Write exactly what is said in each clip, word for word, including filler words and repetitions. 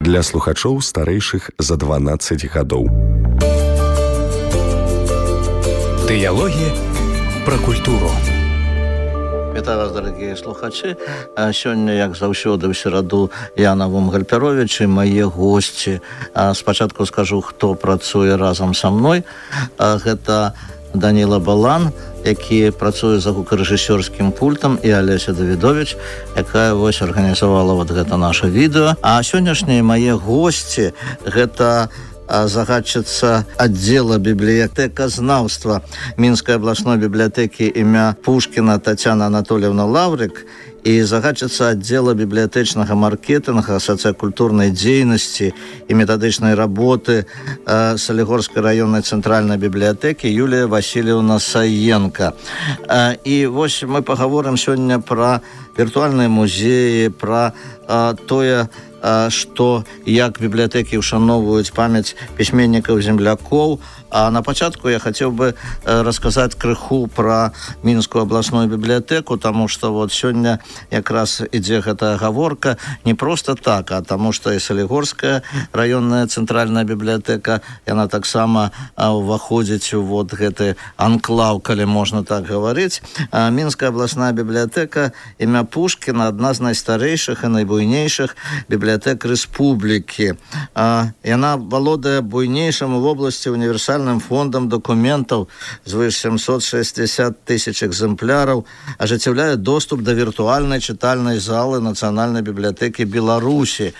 для слухачоў старэйшых за дванаццаць гадоў. Дыялогі пра культуру. Вітаю вас, дарагія слухачы. Сёння, як заўсёды, ў сераду Яна Вумгальпяровіч і мае госці. Спачатку скажу, хто працуе разам са мной. Гэта Даніла Балан, які працуе за гукарэжысёрскім пультам, і Алеся Давідовіч, якая вось арганізавала вот гэта наша відэо. А сённяшнія мае госці гэта загадчыца аддзела бібліятэказнаўства Мінскай абласной бібліятэкі імя Пушкіна Тацяна Анатольевна Лаврик і загадчыца аддзела бібліятэчнага маркетынга, сацыякультурнай дзейнасці і метадычнай работы Салігорскай раённай цэнтральнай бібліятэкі Юлія Васильевна Саенко. І вось мы пагаворым сёння пра віртуальныя музеі, пра тое, што як бібліятэкі ушановваюць памяць пісьменнікаў-землякоў. А на пачатку я хацеў бы расказаць крыху пра Мінскую абласную бібліятэку, таму што вот сёння якраз ідзе гэтая гаворка не проста так, а таму што і Салігорская раённая цэнтральная бібліятэка, яна таксама ўваходзіць у вот гэты анклаў, калі можна так гаварыць. Мінская абласная бібліятэка імя Пушкіна адна з найстарэйшых і найбуйнейшых бібліятэк рэспублікі. Яна валодае буйнейшым у вобласці універсальным фондам документаў звыш сямсот шэсцьдзесят тысяч экземпляраў, ажыццяўляе доступ да віртуальнай чытальнай залы Нацыянальнай бібліятэкі Беларусі.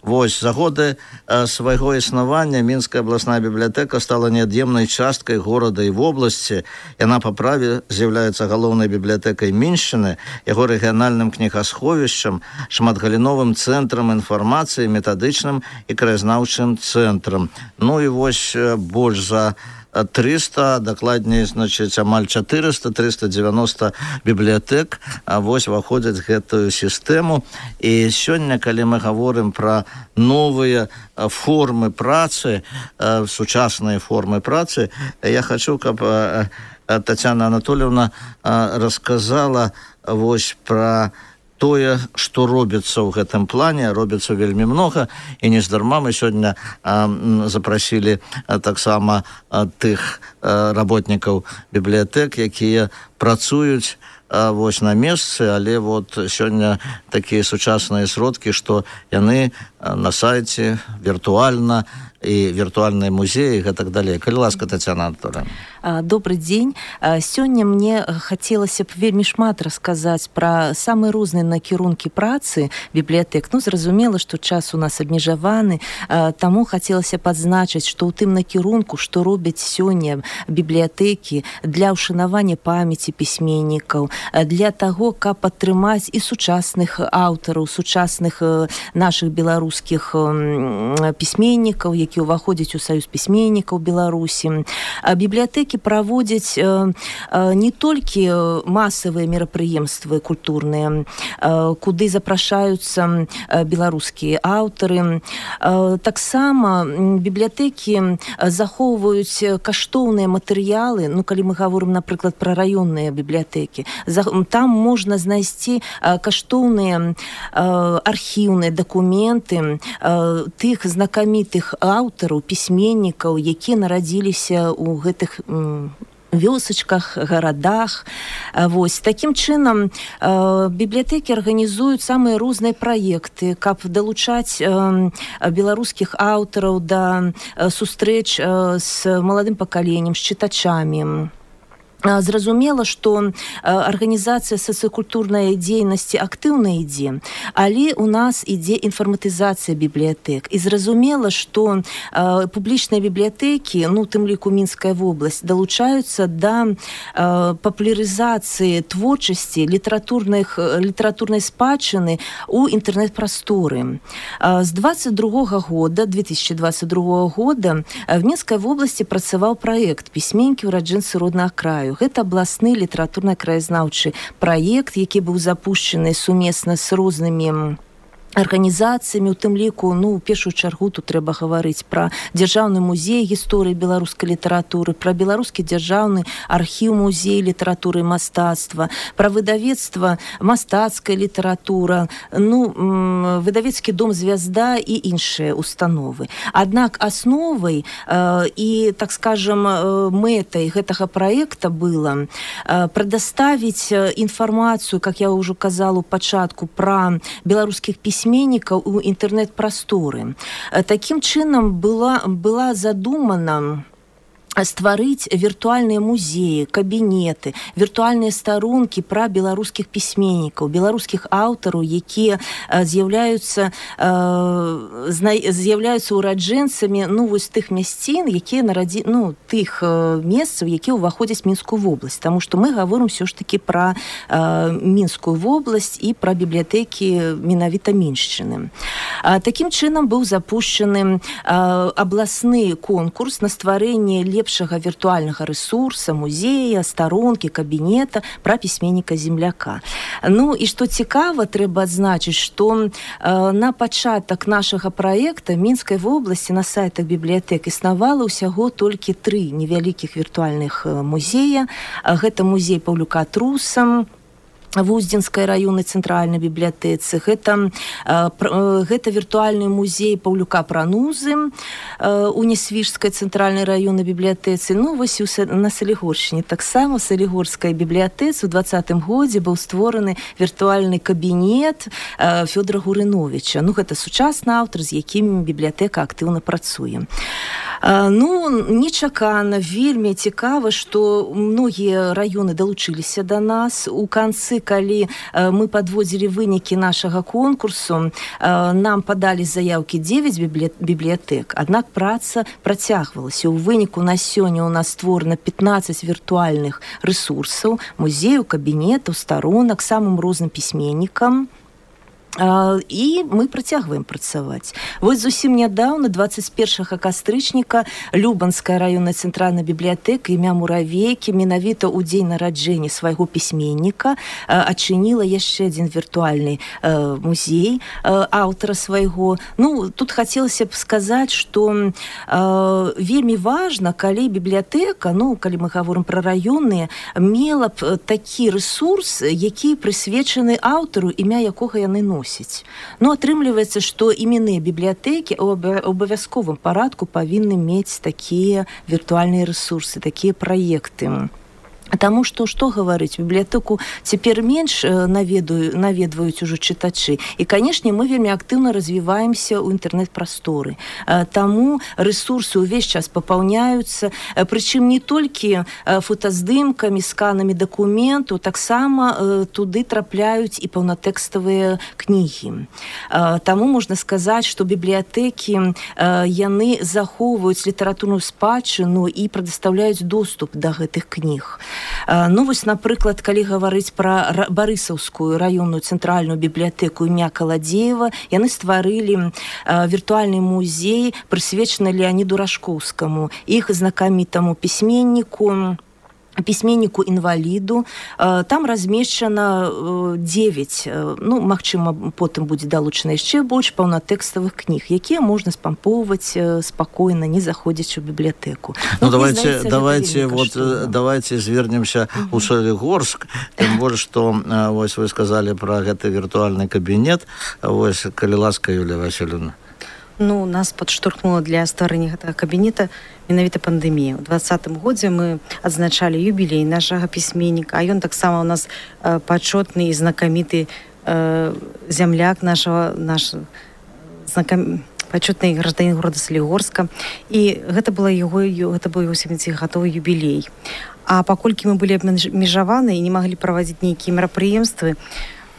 Вось, за годы свайго існавання Мінская абласная бібліятэка стала неад'емнай часткай горада і вобласці. Яна па праве з'яўляецца галоўнай бібліятэкай Міншчыны, яго рэгіянальным кнігасховішчам, шматгаліновым цэнтрам інфармацыі, метадычным і краязнаўчым цэнтрам. Ну і вось больш за трыста, дакладней, значыць, амаль чатырыста трыста дзевяноста бібліятэк вось уваходзяць гэтую сістэму. І сёння, калі мы гаворым пра новыя формы працы, сучасныя формы працы, я хачу, каб Тацяна Анатольевна расказала вось пра тое, што робіцца ў гэтым плане. Робіцца вельмі многа, і нездарма мы сёння а, запрасілі а, таксама а, тых а, работнікаў бібліятэк, якія працуюць а, вось на месцы, але вот сёння такія сучасныя сродкі, што яны а, на сайце віртуальна і віртуальныя музеі і гэтак далей. Калі ласка, Тацяна Анатольевна. Добрый дзень. Сёння мне хацелася б вельмі шмат расказаць пра самыя розныя накірункі працы бібліятэк. Ну, зразумела, што час у нас абмежаваны, таму хацелася падзначыць, што ў тым накірунку, што робяць сёння бібліятэкі для ўшанавання памяці пісьменнікаў, для таго, каб падтрымаць і сучасных аўтараў, сучасных нашых беларускіх пісьменнікаў, які ўваходзяць у саюз пісьменнікаў Беларусі. Бібліятэкі праводзяць не толькі масавыя мерапрыемствы культурныя, куды запрашаюцца беларускія аўтары. Таксама бібліятэкі захоўваюць каштоўныя матэрыялы. Ну, калі мы гаворым, напрыклад, пра раённыя бібліятэкі, там можна знайсці каштоўныя архіўныя дакументы тых знакамітых аўтараў, пісьменнікаў, якія нарадзіліся ў гэтых вёсачках, гарадах. Вось. Такім чынам бібліятэкі арганізуюць самыя розныя праекты, каб далучаць беларускіх аўтараў да сустрэч з маладым пакаленнем, з чытачамі. Зразумела, што арганізацыя сацыякультурнай дзейнасці актыўна ідзе, але у нас ідзе інфарматызацыя бібліятэк. І зразумела, што публічныя бібліятэкі, ну, тым ліку Мінская вобласць, далучаюцца да папулярызацыі творчасці літаратурнай спадчыны ў інтэрнэт-прасторы. З двадцать другога года, две тысячи двадцать другого года в Мінскай вобласці працаваў праект «Пісьменнікі ўраджэнцы роднага краю». Гэта абласны літаратурна-краязнаўчы праект, які быў запушчаны сумесна з рознымі арганізацыямі, у тым ліку, ну, у першую чаргу тут трэба гаварыць пра дзяржаўны музей гісторыі беларускай літаратуры, пра беларускі дзяржаўны архіў музей літаратуры і мастацтва, пра выдавецтва мастацкая літаратура, ну, выдавецкі дом «Звязда» і іншыя установы. Аднак асновай э, і, так скажем, мэтай гэтага праекта было э, прадаставіць інфармацыю, как я ўжо казала ў пачатку, пра беларускіх пісьменнікаў у інтэрнэт-прасторы. Такім чынам была, была задумана стварыць віртуальныя музеі, кабінеты, віртуальныя старонкі пра беларускіх пісьменнікаў, беларускіх аўтараў, якія з'яўляюцца з'яўляюцца ураджэнцамі, ну, вось тых мясцін, якія нарадзі, ну, тых месцаў, якія ўваходзяць Мінскую вобласць, таму што мы гаворым ўсё ж такі пра Мінскую вобласць і пра бібліятэкі менавіта Міншчыны. Такім чынам быў запушчаны абласны конкурс на стварэнне лепшых лепшага віртуальнага рэсурса, музея, старонкі, кабінета пра пісьменніка-земляка. Ну, і што цікава, трэба адзначыць, што э, на пачатак нашага праекта Мінскай вобласці на сайтах бібліятэк існавала ўсяго толькі тры невялікіх віртуальных музея. Гэта музей Паўлюка Труса, в Уздзенскай раённай цэнтральнай бібліятэцы, гэта, гэта віртуальны музей Паўлюка Пранузы у Несвіжскай цэнтральнай раённай бібліятэцы. Ну, вось на Салігоршчыне таксама, у Салігорскай бібліятэцы ў двадцатым годзе быў створаны віртуальны кабінет Фёдора Гурыновіча. Ну, гэта сучасны аўтар, з якім бібліятэка актыўна працуе. Ну, нечакана, вельмі цікава, што многія раёны далучыліся да нас. У канцы, калі мы падводзілі вынікі нашага конкурсу, нам падалі заяўкі дзевяць бібліятэк, аднак праца працягвалася. У выніку на сёння у нас створана пятнаццаць віртуальных рэсурсаў, музеяў, кабінетаў, старонак самым розным пісьменнікам. І мы працягваем працаваць. Вось зусім нядаўна, двадцать першага кастрычніка, Любанская раённая цэнтральная бібліятэка імя Муравейкі менавіта ў дзень нараджэння свайго пісьменніка адчыніла яшчэ адзін віртуальны музей аўтара свайго. Ну, тут хацелася б сказаць, што вельмі важна, калі бібліятэка, ну, калі мы гаворым пра раённыя, мела б такі рэсурс, які прысвечаны аўтару, імя якога яны носяць. Ну, атрымліваецца, што іменныя бібліятэкі ў абавязковым парадку павінны мець такія віртуальныя рэсурсы, такія праекты. Таму што, што гаварыць, бібліятэку цяпер менш наведаю, наведваюць ужо чытачы. І, канешне, мы вельмі актыўна развіваемся ў інтэрнэт-прасторы. Таму рэсурсы ўвесь час папаўняюцца, прычым не толькі фотаздымкамі, сканамі дакументу, таксама туды трапляюць і паўнатэкставыя кнігі. Таму можна сказаць, што бібліятэкі яны захоўваюць літаратурную спадчыну і прадастаўляюць доступ да гэтых кніг. Ну, вось, напрыклад, калі гаварыць пра Барысаўскую раённую цэнтральную бібліятэку імя Каладзеева, яны стварылі віртуальны музей, прысвечаны Леаніду Рашкоўскаму, іх знакамітаму пісьменніку, пісьменніку-інваліду. Там размешчана дзевяць, ну, магчыма, потым будзе далучана яшчэ больш паўнатэкставых кніг, якія можна спампоўваць спакойна, не заходзячы ў бібліятэку. Ну, ну давайте, давайте, вот, давайте звернемся у Солігорск, тым больш, што вось вы сказалі пра гэты віртуальны кабінет. Вось, калі ласка, Юлія Васильевна. Ну, нас падштурхнула для стварэння гэтага кабінета менавіта пандэмія. У двадцатым годзе мы адзначалі юбілей нашага пісьменніка, а ён таксама у нас э, пачотны і знакаміты э, зямляк нашага, наш знакам... пачотны гражданін горада Салігорска. І гэта была яго, гэта быў яго сямідзесяцігадовы юбілей. А паколькі мы былі абмежаваны і не маглі праводзіць нейкія мерапрыемствы,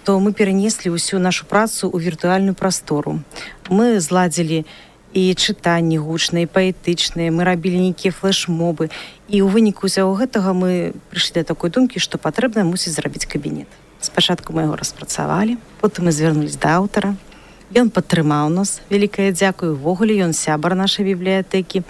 то мы перанеслі ўсю нашу працу ў віртуальную прастору. Мы зладзілі і чытанні гучныя, і паэтычныя, мы рабілі нейкія флэш-мобы. І ў выніку ўсяго гэтага мы прыйшлі да такой думкі, што патрэбна мусіць зрабіць кабінет. Спачатку мы яго распрацавалі, потым мы звярнулись да аўтара. Ён падтрымаў нас, вялікае дзякуй, увогуле ён сябар нашай бібліятэкі.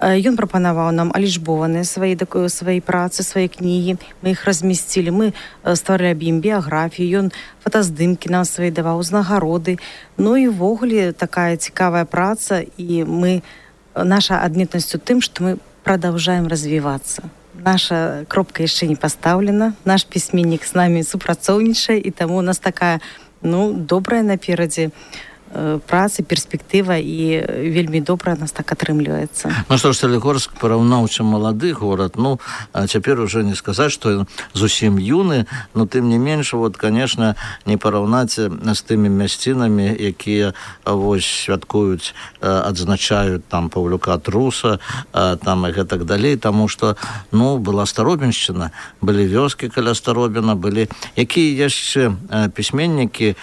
Ён прапанаваў нам алічбованыя свае, свае працы, свае кнігі. Мы іх размесцілі, мы стварылі аб ім біяграфію, ён фотаздымкі нам свае даваў, узнагароды. Ну і ўвогуле такая цікавая праца, і мы, наша адметнасць у тым, што мы продолжаем развиваться. Наша кропка яшчэ не пастаўлена, наш пісьменнік з намі супрацоўнічае, і таму у нас такая, ну, добрая наперадзе працы, перспектыва, і вельмі добра нас так атрымліваецца. Ну што ж, Салігорск параўнаўча малады горад, ну, а цяпер уже не сказаць, што зусім юны, но тым не менш, вот, конечно, не параўнаць з тымі мясцінамі, якія вось святкуюць, адзначаюць там Паўлюка Труса, там і гэтак далей, таму што, ну, была Старобіншчына, былі вёскі каля Старобіна, былі якія яшчэ пісьменнікі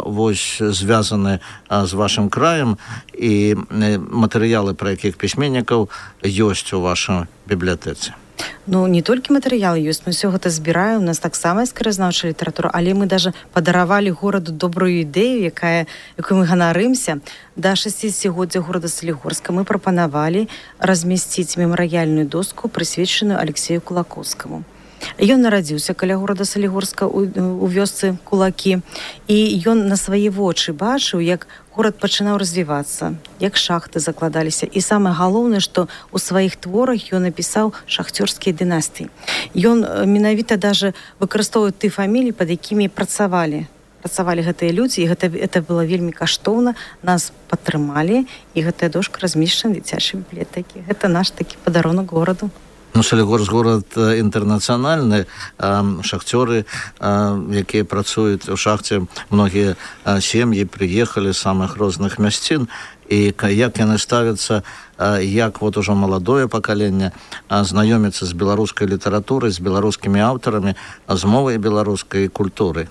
вось звязаны з вашым краем, і матэрыялы, пра якіх пісьменнікаў ёсць у вашай бібліятэцы? Ну, не толькі матэрыялы ёсць, мы ўсё гэта збіраем, у нас таксама ёсць краязнаўчая літаратура, але мы даже падаравалі гораду добрую ідэю, якая, якой мы ганарымся. Да шасцідзесяцігоддзя горада Салігорска мы прапанавалі размясціць мемарыяльную доску, прысвечаную Алексею Кулакоўскаму. Ён нарадзіўся каля горада Салігорска у, у вёсцы Кулакі, і ён на свае вочы бачыў, як горад пачынаў развівацца, як шахты закладаліся. І самае галоўнае, што ў сваіх творах ён напісаў шахцёрскія дынастыі. Ён менавіта даже выкарыстоўвае ты фаміліі, пад якімі працавалі. Працавалі гэтыя людзі, і гэта, гэта было вельмі каштоўна. Нас падтрымалі, і гэтая дошка размешчана ў дзіцячай бібліятэкі. Гэта наш такі падарунак гораду. Ну, Салігорск горад інтэрнацыянальны, шахцёры, якія працуюць у шахце, многія сем'і прыехалі з самых розных мясцін, і як яны ставяцца, як вот ужо маладое пакаленне знаёміцца з беларускай літаратурай, з беларускімі аўтарамі, з мовай беларускай культуры.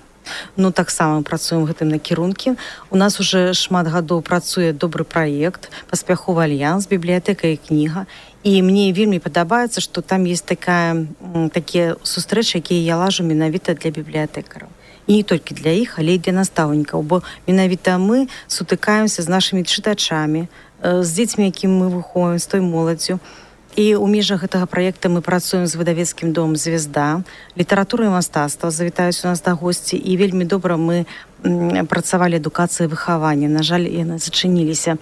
Ну, таксама працуем гэтым накірункі. У нас уже шмат гадоў працуе добры праект, паспяховы альянс, бібліятэка і кніга. І мне вельмі падабаецца, што там есть такая, такія сустрэчы, якія я лажу менавіта для бібліятэкараў. І не толькі для іх, але і для настаўнікаў, бо менавіта мы сутыкаемся з нашымі чытачамі, з дзецьмі, якім мы выхоўваем, з той моладдзю. І ў межах гэтага праекта мы працуем з выдавецкім домам «Звезда», літаратура і мастацтва завітаюць у нас да госці, і вельмі добра мы працавалі адукацыі выхавання. На жаль, яны зачыніліся.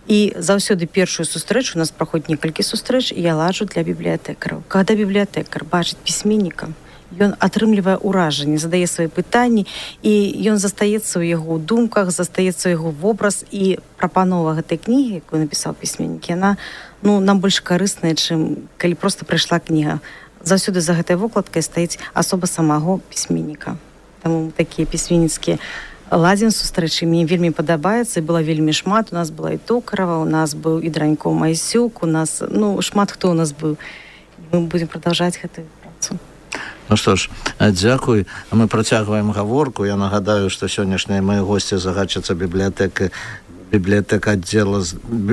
І заўсёды першую сустрэчу, у нас праходзіць некалькі сустрэч, і я ладжу для бібліятэкараў. Калі бібліятэкар бачыць пісьменніка, ён атрымлівае ўражанне, задае свае пытанні, і ён застаецца ў яго думках, застаецца ў яго вобраз, і прапанова гэтай кнігі, якую напісаў пісьменнік, яна, ну, нам больш карысная, чым калі проста прыйшла кніга. Заўсёды за гэтай вокладкай стаіць асоба самого пісьменніка. Таму такія пісьменніцкія ладзім сустрэчы мне вельмі падабаецца, і было вельмі шмат. У нас была і Токарава, у нас быў і Дранько Майсюк, у нас, ну, шмат хто у нас быў. Мы будзем прадаўжаць гэтую працу. Ну што ж, дзякуй. Мы працягваем гаворку. Я нагадаю, што сённяшнія мае госці загадчыца бібліятэкі библиотека отдела,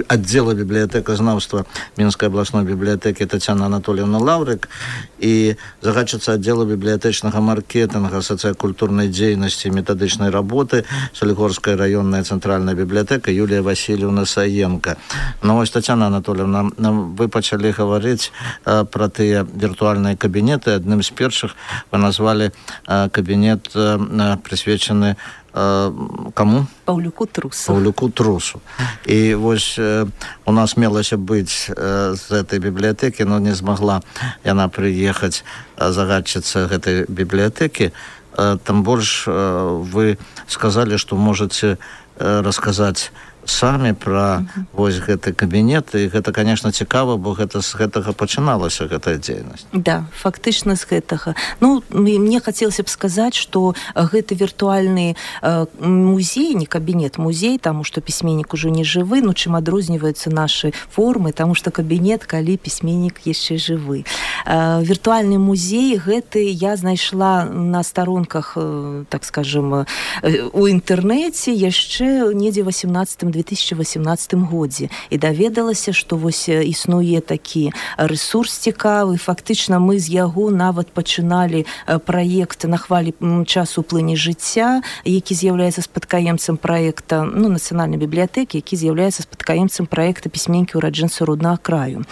отдела библиотекознавства Минской областной библиотеки Тетяна Анатольевна Лаврик и загадчица отдела библиотечного маркетинга, социокультурной деятельности и методичной работы Солигорская районная центральная библиотека Юлия Васильевна Саенко. Ну, ось, Тетяна Анатольевна, вы почали говорить э, про те виртуальные кабинеты. Одним из первых вы назвали э, кабинет, э, присвяченный кому? Паўлюку Трусу. Паўлюку Трусу. И вось э, у нас мелася быць э, з этой библиотеки, но не змогла яна приехать э, загадчица гэтай библиотеки. Э, там больше э, вы сказали, что можете э, рассказать самі пра uh-huh. вось гэты кабінет, і гэта, конечно, цікава, бо гэта з гэтага пачыналася гэтая дзейнасць. Да, фактычна з гэтага. Ну, мне хацелася б сказаць, што гэты віртуальны э, музей, не кабінет, музей, таму што пісьменнік ужо не жывы, ну, чым адрозніваюцца нашы формы, таму што кабінет, калі пісьменнік яшчэ жывы. Э, віртуальны музей гэты я знайшла на старонках, э, так скажем, э, у інтэрнэце яшчэ недзе васемнаццатым две тысячи восемнадцатым годзе і даведалася, што вось існуе такі рэсурс цікавы. Фактычна мы з яго нават пачыналі праект на хвалі часу плыні жыцця, які з'яўляецца спадкаемцам праекта, ну, нацыянальнай бібліятэкі, які з'яўляецца спадкаемцам праекта пісьменнікі ўраджэнцы роднага краю.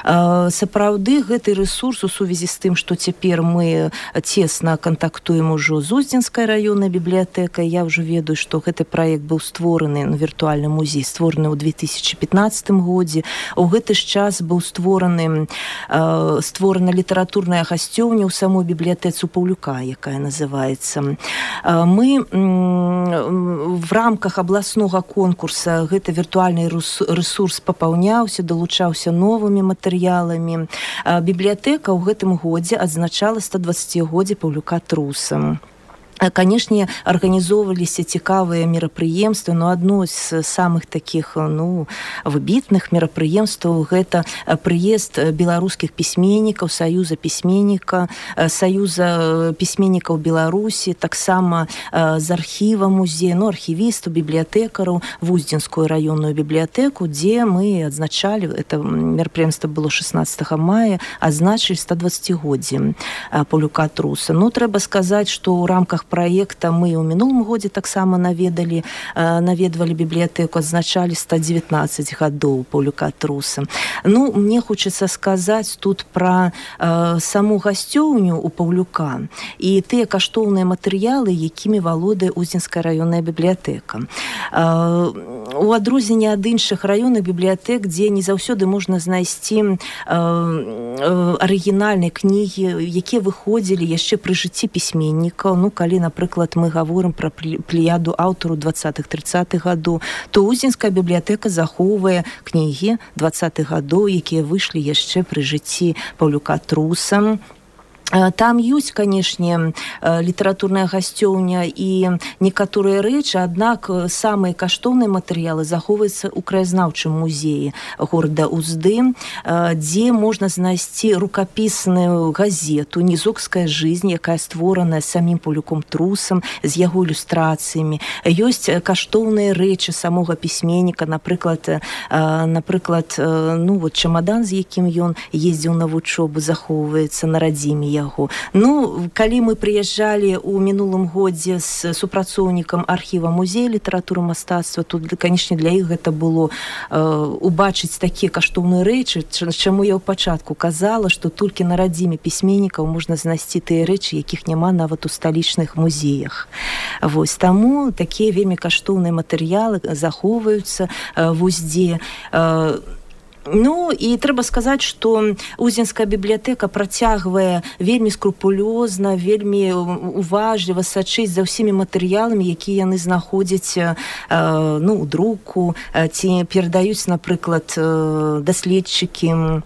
Сапраўды гэты рэсурс у сувязі з тым, што цяпер мы цесна кантактуем ужо з Уздзенскай раённай бібліятэкай. Я ўжо ведаю, што гэты праект быў створаны, ну, віртуальны музей створаны ў две тысячи пятнадцатым годзе. У гэты ж час быў створаны э, створана літаратурная гасцёўня ў самой бібліятэцы Паўлюка, якая называецца. Э, мы э, в рамках абласнога конкурса гэты віртуальны рэсурс папаўняўся, далучаўся новымі матэрыяламі. Э, бібліятэка ў гэтым годзе адзначала стодваццацігоддзе Паўлюка Труса. Канешне, арганізоўваліся цікавыя мерапрыемствы, но адно з самых такіх, ну, выбітных мерапрыемстваў гэта прыезд беларускіх пісьменнікаў, саюза пісьменніка, саюза пісьменнікаў Беларусі, таксама з архіва музея, ну, архівістаў, бібліятэкараў в Уздзенскую раённую бібліятэку, дзе мы адзначалі, это мерапрыемства было шестнадцатого мая, адзначылі стодваццацігоддзе Паўлюка Труса. Ну, трэба сказаць, што ў рамках праекта мы ў мінулым годзе таксама наведалі, наведвалі бібліятэку, адзначалі сто дзевятнаццаць гадоў Паўлюка Труса. Ну, мне хочацца сказаць тут пра э, саму гасцёўню у Паўлюка і тыя каштоўныя матэрыялы, якімі валодае Уздзенская раённая бібліятэка. Э, у адрозненне ад іншых раённых бібліятэк, дзе не заўсёды можна знайсці э, э, арыгінальныя кнігі, якія выходзілі яшчэ пры жыцці пісьменнікаў, ну, калі, напрыклад, мы гаворым пра плеяду аўтару двадцатых-трыццатых гадоў, то Уздзенская бібліятэка захоўвае кнігі двадцатых гадоў, якія выйшлі яшчэ пры жыцці Паўлюка Труса. Там ёсць, канешне, літаратурная гасцёўня і некаторыя рэчы, аднак самыя каштоўныя матэрыялы захоўваюцца ў краязнаўчым музеі горада Узды, дзе можна знайсці рукапісную газету «Нізокская жизнь», якая створаная самім Паўлюком Трусам, з яго ілюстрацыямі. Ёсць каштоўныя рэчы самога пісьменніка, напрыклад, напрыклад, ну, вот чамадан, з якім ён ездзіў на вучобу, захоўваецца на радзіме яго. Ну, калі мы прыязджалі ў мінулым годзе з супрацоўнікам архіва музея літаратуры мастацтва, тут, канешне, для іх гэта было э, убачыць такія каштоўныя рэчы, чаму я ў пачатку казала, што толькі на радзіме пісьменнікаў можна знайсці тыя рэчы, якіх няма нават у сталічных музеях. Вось, таму такія вельмі каштоўныя матэрыялы захоўваюцца э, в Уздзе. Э, Ну, і трэба сказаць, што Уздзенская бібліятэка працягвае вельмі скрупулёзна, вельмі уважліва сачыць за ўсімі матэрыяламі, якія яны знаходзяць, э, ну, у друку, ці перадаюць, напрыклад, даследчыкі.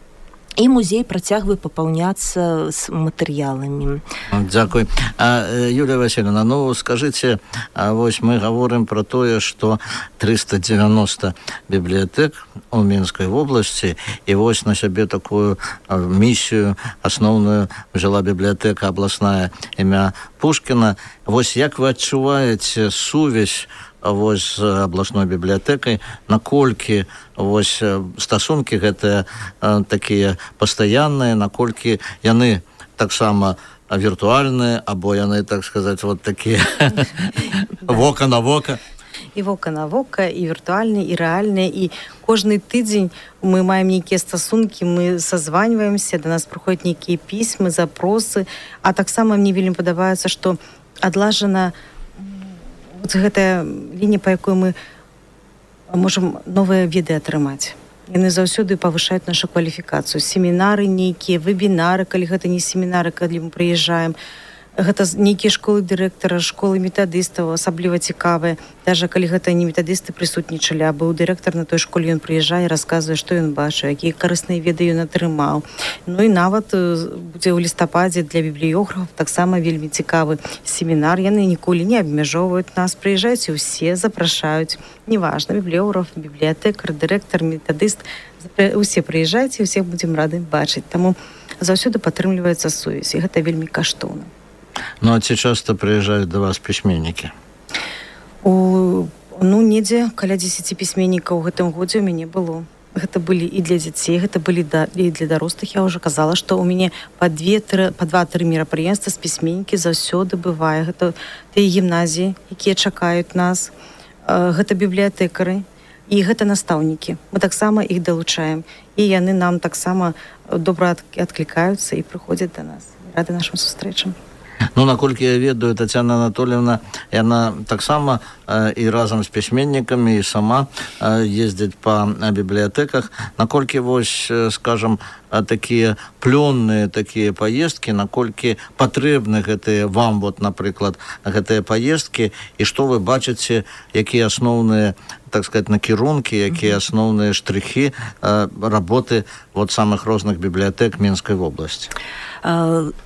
І музей працягвае папаўняцца з матэрыяламі. Дзякуй. А, Юлія Васильевна, ну, скажыце, а вось мы гаворым пра тое, што триста девяносто бібліятэк у Мінскай вобласці, і вось на сябе такую місію асноўную взяла бібліятэка абласная імя Пушкіна. Вось як вы адчуваеце сувязь вось з абласной бібліятэкай, наколькі вось стасункі гэтыя э, такія пастаянныя, наколькі яны таксама віртуальныя, або яны, так сказаць, вот такія вока на вока? І вока на вока, і віртуальныя, і рэальныя, і кожны тыдзень мы маем нейкія стасункі, мы сазваньваемся, да нас прыходзяць нейкія пісьмы, запросы, а таксама мне вельмі падабаецца, што адлажана вот гэтая лінія, па якой мы можам новыя веды атрымаць. Яны заўсёды павышаюць нашу кваліфікацыю. Семінары нейкія, вебінары, калі гэта не семінары, калі мы прыязджаем. Гэта нейкія школы дырэктара, школы метадыстаў, асабліва цікавыя. Даже калі гэта не метадысты прысутнічалі, а быў дырэктар на той школе, ён прыязджае, расказвае, што ён бачыў, якія карысныя веды ён атрымаў. Ну і нават будзе ў лістападзе для бібліёграфаў таксама вельмі цікавы семінар. Яны ніколі не абмяжоўваюць нас, прыязджаюць і ўсе запрашаюць. Неважна, бібліёграф, бібліятэкар, дырэктар, метадыст, усе прыязджайце, усіх будзем рады бачыць. Таму заўсёды падтрымліваецца сувязь, і гэта вельмі каштоўна. Ну, а ці часто прыязджаюць да вас пісьменнікі? У Ну, недзе каля дзесяці пісьменнікаў у гэтым годзе ў мяне было. Гэта былі і для дзяцей, гэта былі да, і для дарослых. Я ўжо казала, што ў мяне па два-тры мерапрыемствы з пісьменнікі заўсёды бывае. Гэта тыя гімназіі, якія чакаюць нас, гэта бібліятэкары і гэта настаўнікі. Мы таксама іх далучаем. І яны нам таксама добра адклікаюцца і прыходзяць да нас. Рады нашым сустрэчам. Ну, наколькі я ведаю, Тацяна Анатольевна, яна таксама э, і разам з пісьменнікамі, і сама э, ездзіць па бібліятэках. Наколькі, вось, э, скажам, э, такія плённыя такія паездкі, наколькі патрэбны гэтыя вам, вот, напрыклад, гэтыя паездкі, і што вы бачыце, якія асноўныя, так сказать, накірункі, якія асноўныя штрыхі э, работы вот самых розных бібліятэк Мінскай вобласці?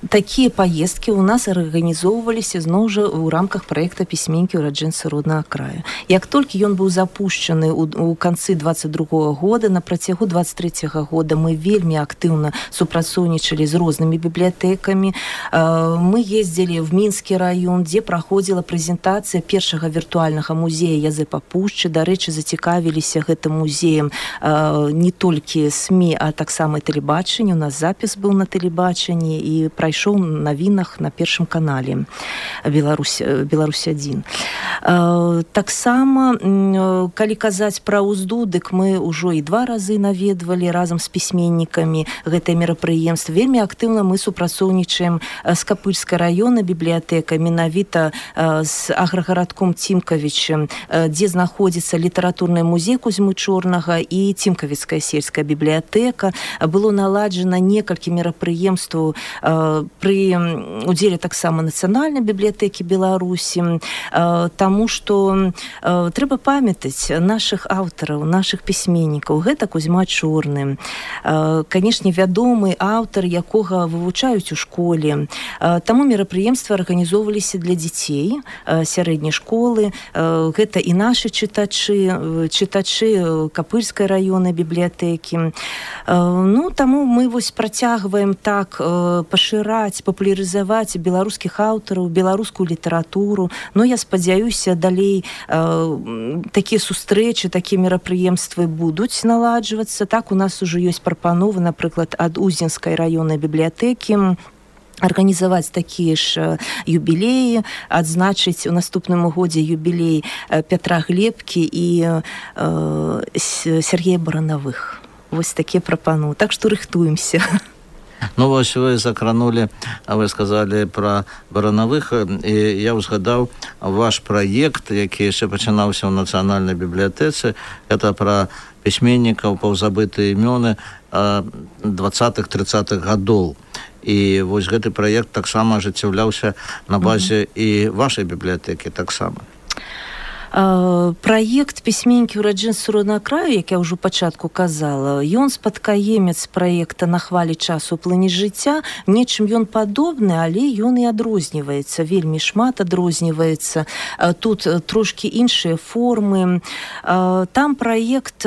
Такія паездкі ў нас арганізоўваліся зноў жа ў рамках праекта пісьменнікі ураджэнцы роднага краю. Як толькі ён быў запушчаны ў канцы двадцать другога года, на працягу двадцать трэцяга года мы вельмі актыўна супрацоўнічалі з рознымі бібліятэкамі. Мы ездзілі в Мінскі раён, дзе праходзіла прэзентацыя першага віртуальнага музея Язэпа Пушчы. Дарэчы, зацікавіліся гэтым музеем не толькі СМІ, а таксама і тэлебачанне. У нас запіс быў на тэлебачанні і прайшоў на навінах на першым канале Беларусь, Беларусь адзін. Таксама, калі казаць пра узду, дык мы ўжо і два разы наведвалі разам з пісьменнікамі гэтае мерапрыемства. Вельмі актыўна мы супрацоўнічаем з Капыльскай раённай бібліятэкай, менавіта з аграгарадком Цімкавічам, дзе знаходзіцца літаратурны музей Кузьмы Чорнага і Цімкавіцкая сельская бібліятэка. Было наладжана некалькі мерапрыемстваў пры удзеле таксама нацыянальнай бібліятэкі Беларусі, таму што трэба памятаць нашых аўтараў, нашых пісьменнікаў. Гэта Кузьма Чорны, канешне, вядомы аўтар, якога вывучаюць у школе. Таму мерапрыемствы арганізоўваліся для дзяцей сярэдняй школы. Гэта і нашы чытачы, чытачы Капыльскай раённай бібліятэкі. Ну, таму мы вось працягваем так пашыраць, папулярызаваць беларускіх аўтараў, беларускую літаратуру. Ну, я спадзяюся, далей такія сустрэчы, такія мерапрыемствы будуць наладжвацца. Так, у нас ужо ёсць прапановы, напрыклад, ад Узенскай раённай бібліятэкі арганізаваць такія ж юбілеі, адзначыць у наступным годзе юбілей Пятра Глебкі і Сергея Баранавых. Вось такія прапановы. Так што рыхтуемся. Ну, вось вы закранули, вы сказали про Баранавых, і я узгадаў ваш праект, які яшчэ пачынаўся ў нацыянальнай бібліятэцы. Гэта пра пісьменнікаў, паўзабытыя імёны двадцатых-трыццатых гадоў. І вось гэты праект таксама ажыццяўляўся на базе і вашай бібліятэкі таксама. Праект пісьменнікі ураджэнцы роднага краю, як я ўжо пачатку казала, ён спадкаемец праекта «На хвалі часу плыні жыцця». Нечым ён падобны, але ён і адрозніваецца, вельмі шмат адрозніваецца. Тут трошкі іншыя формы. Там праект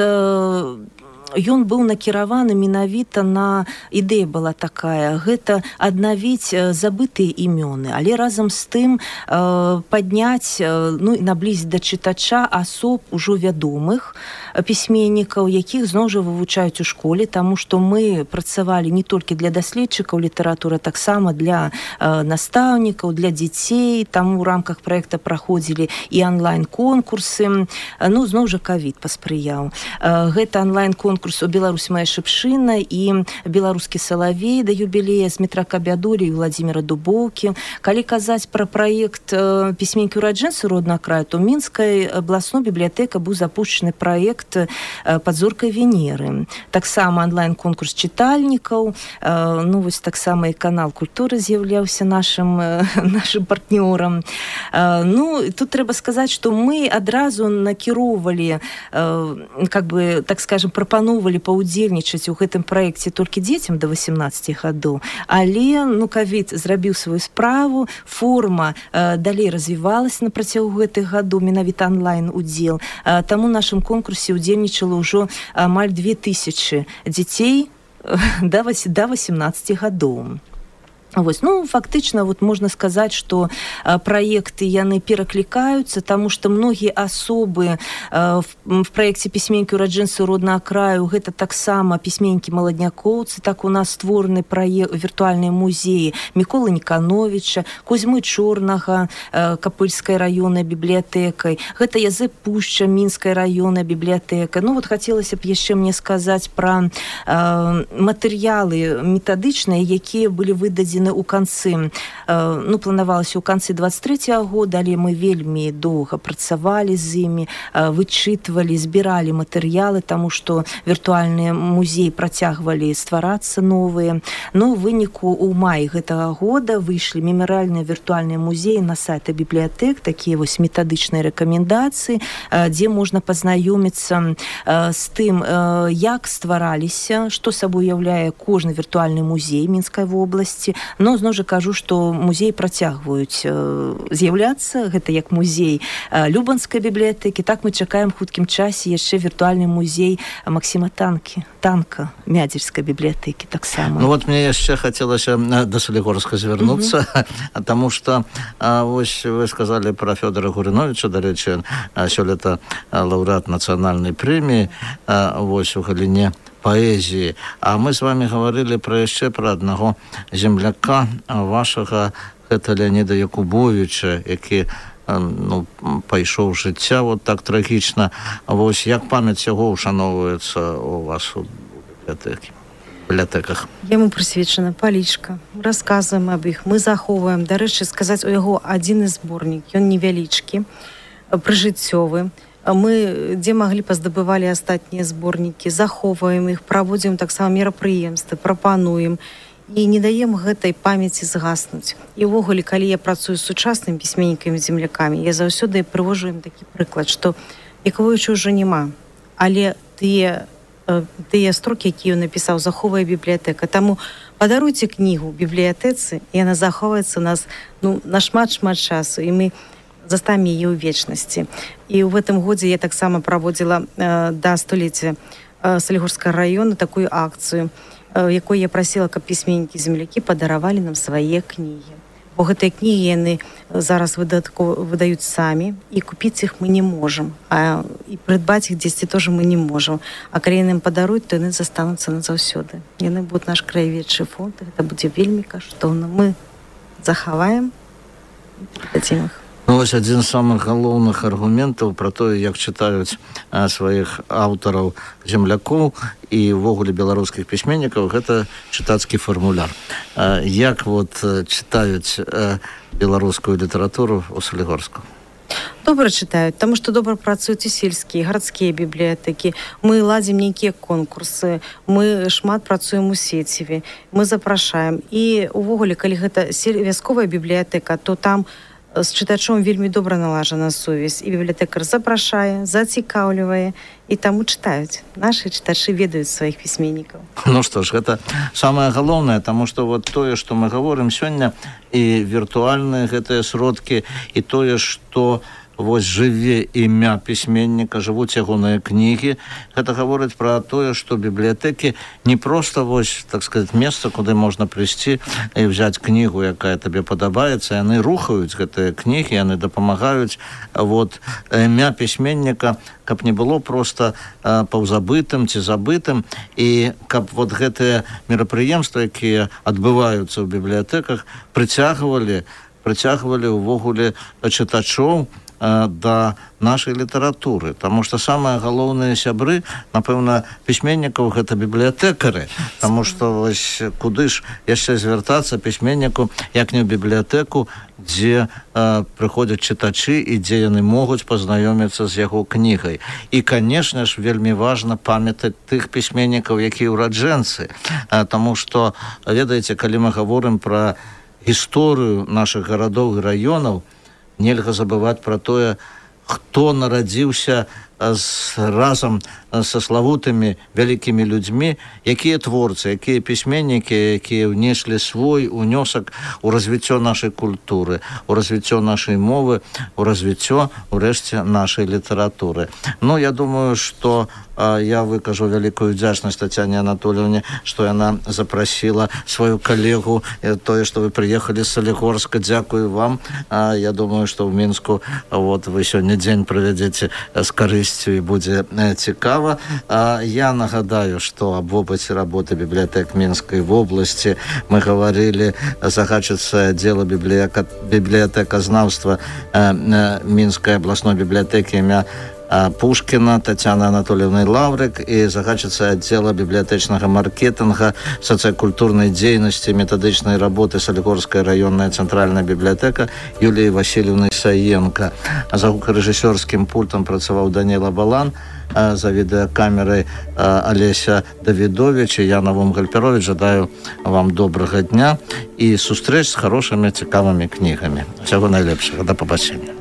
ён быў накіраваны менавіта на, ідэя была такая, гэта аднавіць забытыя імёны, але разам з тым э, падняць, ну, наблізіць да чытача асоб ужо вядомых пісьменнікаў, якіх зноў жа вывучаюць у школе, таму што мы працавалі не толькі для даследчыкаў літаратуры, таксама для э, настаўнікаў, для дзяцей. Таму ў рамках праекта праходзілі і онлайн-конкурсы. Ну, зноў жа ковід паспрыяў. Э, гэта онлайн-конкурс у «Беларусь моя шыпшына» і «Беларускі салавей» да юбілея з Дмітра Кабядурі і Владзіміра Дубоўкі. Калі казаць пра праект пісьменнікі ураджэнцы роднага краю, то Мінскай абласной бібліятэкай быў запушчаны праект «Пад зоркай Венеры». Таксама онлайн-конкурс чытальнікаў. Ну, вось таксама і канал культуры з'яўляўся нашым, нашым партнёрам. Ну, тут трэба сказаць, што мы адразу накіроўвалі, как бы, так скажем, прапановвалі паўдзельнічаць у гэтым праекце толькі дзецям да восемнадцати гадоў, але, ну, ковід зрабіў сваю справу, форма э, далей развівалася на працягу гэтых гадоў, менавіта онлайн удзел. Э, таму ў нашым конкурсе удзельнічала ўжо амаль две тысячы дзяцей э, да восемнадцати гадоў. Вось. Ну, фактычна, вот можна сказаць, што э, праекты яны пераклікаюцца, таму што многія асобы э, в, в праекце пісьменнікі ураджэнцы роднага краю, гэта таксама пісьменнікі маладнякоўцы, так у нас створаны праект віртуальныя музеі Міколы Нікановіча, Кузьмы Чорнага, э, Капыльскай раённай бібліятэкай, гэта Язэп Пушча, Мінскай раённай бібліятэкай. Ну, вот хацелася б яшчэ мне сказаць пра э, матэрыялы метадычныя, якія былі выдадзены у канцы, ну, планавалася ў канцы двадцать третьего года, але мы вельмі доўга працавалі з імі, вычытвалі, збіралі матэрыялы, таму што віртуальныя музеі працягвалі стварацца новыя. Ну, у выніку ў маі гэтага года выйшлі мемарыяльныя віртуальныя музеі на сайты бібліятэк, такія вось метадычныя рэкамендацыі, дзе можна пазнаёміцца з тым, як ствараліся, што сабой уяўляе кожны віртуальны музей Мінскай вобласці. Но, зноў жа кажу, што музеі працягваюць э, з'яўляцца, гэта як музей э, Любанскай бібліятэкі, так мы чакаем хуткім часе яшчэ віртуальны музей Максіма Танкі, Танка, Мядзельскай бібліятэкі таксама. Ну вот мне яшчэ хацелася да Салігорска звярнуцца, mm-hmm. таму што а, вось вы сказалі пра Фёдора Гурыновіча, дарэчы, сёлета лаўрэат нацыянальнай прэміі, а, вось у галіне паэзіі. А мы з вами гаварылі пра яшчэ пра аднаго земляка вашага, гэта Леаніда Якубовіча, які ну, пайшоў жыцця вот так трагічна. Вось як памяць яго ушановваецца у вас у бібліятэкі, бібліятэках? Яму прысвечана палічка. Расказваем аб іх, мы захоўваем. Дарэчы, сказаць, у яго адзіны зборнік, ён невялічкі, прыжыццёвы. Мы, дзе маглі, паздабывалі астатнія зборнікі, захоўваем іх, праводзім таксама мерапрыемствы, прапануем і не даем гэтай памяці згаснуць. І ўвогуле, калі я працую з сучаснымі пісьменнікамі, землякамі, я заўсёды прывожу ім такі прыклад, што Якубовіча ўжо няма, але тыя, тыя строкі, якія ён напісаў, захоўвае бібліятэка. Таму падаруйце кнігу бібліятэцы, і яна захоўваецца у нас ну, на шмат-шмат часу, і мы заставим яе ў вечнасці. І ў гэтым годзе я таксама праводзіла э, да століцця э, Салігорскага раёна такую акцыю, э, якой я прасіла, каб пісьменнікі землякі падаравалі нам свае кнігі. Бо гэтыя кнігі яны зараз выдаюць самі, і купіць іх мы не можам, а і прыдбаць іх дзесьці тоже мы не можам. А калі яны нам падаруюць, то яны застануцца назаўсёды. Яны будуць наш краяведчы фонд, гэта будзе вельмі каштоўна. Мы захаваем і перададзім іх. Ну, вось адзін з самых галоўных аргументаў пра тое, як чытаюць а, сваіх аўтараў землякоў і ўвогуле беларускіх пісьменнікаў, гэта чытацкі фармуляр. А, як вот чытаюць а, беларускую літаратуру ў Салігорску? Добра чытаюць, таму што добра працуюць і сельскія, гарадскія бібліятэкі. Мы ладзім нейкія конкурсы, мы шмат працуем у сеціве, мы запрашаем. І ўвогуле, калі гэта вясковая бібліятэка, то там з чытачом вельмі добра налажана сувязь, і бібліятэкар запрашае, зацікаўлівае, і таму чытаюць. Нашы чытачы ведаюць сваіх пісьменнікаў. Ну што ж, гэта самае галоўнае, таму што вот тое, што мы гаворым сёння, і віртуальныя гэтыя сродкі, і тое, што вось жыве імя пісьменніка, жывуць ягоныя кнігі. Гэта гаворыць пра тое, што бібліятэкі не проста вось, так сказаць, месца, куды можна прыйсці і взяць кнігу, якая табе падабаецца. Яны рухаюць гэтыя кнігі, яны дапамагаюць вот імя пісьменніка, каб не было проста а, паўзабытым ці забытым, і каб вот гэтыя мерапрыемствы, якія адбываюцца ў бібліятэках, прыцягвалі, прыцягвалі ўвогуле чытачоў да нашай літаратуры, таму што самыя галоўныя сябры, напэўна, пісьменнікаў гэта бібліятэкары, таму што вось куды ж яшчэ звяртацца пісьменніку, як не ў бібліятэку, дзе а, прыходзяць чытачы і дзе яны могуць пазнаёміцца з яго кнігай. І, канешне ж, вельмі важна памятаць тых пісьменнікаў, якія ўраджэнцы, а, таму што, ведаеце, калі мы гаворым пра гісторыю нашых гарадоў і раёнаў, нельга забываць пра тое, хто нарадзіўся з, разам са славутымі вялікімі людзьмі, якія творцы, якія пісьменнікі, якія внеслі свой унёсак у развіццё нашай культуры, у развіццё нашай мовы, у развіццё, урэшце, нашай літаратуры. Ну, я думаю, што а, я выкажу вялікую вдзячнасць Тацяне Анатольевне, што яна запрасіла сваю калегу, тое, што вы прыехалі з Салігорска. Дзякую вам. А, я думаю, што ў Мінску вот, вы сёння дзень правядзеце з карысцю і будзе цікава. А, я нагадаю, што об опыце работы бібліятэк Мінскай вобласці мы гаварылі, загадчыца аддзела бібліятэказнаўства Мінскай абласной бібліятэкі імя Пушкіна Тацяна Анатольевна Лаўрык і загадчыца аддзела бібліятэчнага маркетинга, сацыякультурнай дзейнасці, метадычнай работы Салігорская раённая цэнтральная бібліятэка Юліі Васильевны Саенко. За гукарэжысёрскім пультам працаваў Даніла Балан, за відэакамерай Алеся Давідович і я, Навум Гальперович. Жадаю вам добрага дня і сустрэч з хорошымі, цікавымі кнігамі. Всяго найлепшага. Да пабачення.